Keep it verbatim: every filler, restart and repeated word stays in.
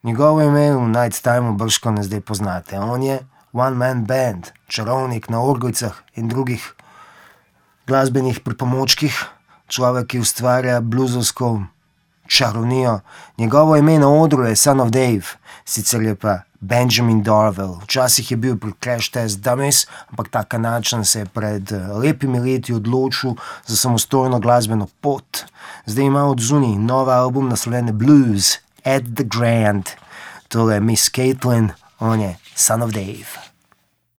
Njegovo ime v Night Timeu bržkone zdaj poznate. On je one man band, čarovnik na orgojcah in drugih glasbenih pripomočkih, človek, ki ustvarja bluzovsko čarovnijo. Njegovo ime na odru je Son of Dave, sicer je pa Benjamin Dorwell. Včasih je bil pri Crash Test Dummies, ampak ta Kanadčan se je pred lepimi leti odločil za samostojno glasbeno pot. Zdaj ima odzunaj nov album naslovljen Blues at the Grand. Tole je Miss Caitlin, on je Son of Dave.